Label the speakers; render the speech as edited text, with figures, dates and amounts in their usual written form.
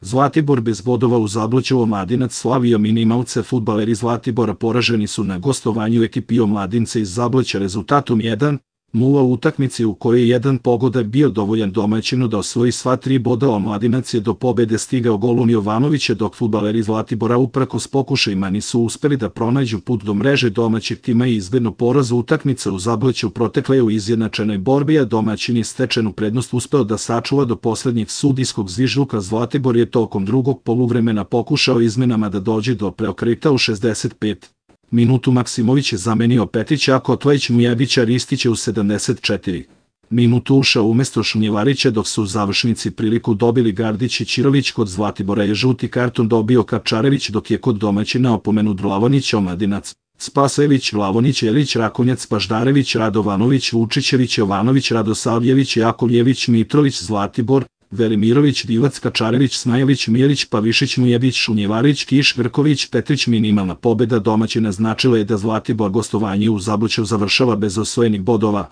Speaker 1: Zlatibor bez bodova u Zabluću. Omladinac slavio minimalce. Fudbaleri Zlatibora poraženi su na gostovanju ekipi Omladince iz Zabluća rezultatom 1:0 u utakmici u kojoj je jedan pogodak bio dovoljan domaćinu da osvoji sva 3 boda. Omladinac je do pobede stigao golom Jovanovića, dok fudbaleri Zlatibora uprkos pokušajima nisu uspeli da pronađu put do mreže domaćeg tima i izbegnu poraz. Utakmica u Zabluću protekla je u izjednačenoj borbi, a domaćin je stečenu prednost uspeo da sačuva do poslednjeg sudijskog zvižduka. Zlatibor je tokom drugog poluvremena pokušao izmenama da dođe do preokreta. U 65 minutu Maksimović je zamenio Petića, a Kotlajić Mujevića Ristića u 74 minutu ušao umesto Šunjevarića, dok su u završnici priliku dobili Gardić i Ćirović. Kod Zlatibora je žuti karton dobio Kapčarević, dok je kod domaćina opomenut Vlavonić. Omladinac: Spasajević, Vlavonić, Jelić, Rakonjac, Paždarević, Radovanović, Vučićević, Jovanović, Radosavljević, Jakovljević, Mitrović. Zlatibor: Velimirović, Divac, Kačarević, Snajelić, Mijelić, Pavišić, Mujević, Šunjevarić, Kiš, Grković, Petrić. Minimalna pobeda domaćina značila je da Zlatibor gostovanje u Zabluću završava bez osvojenih bodova.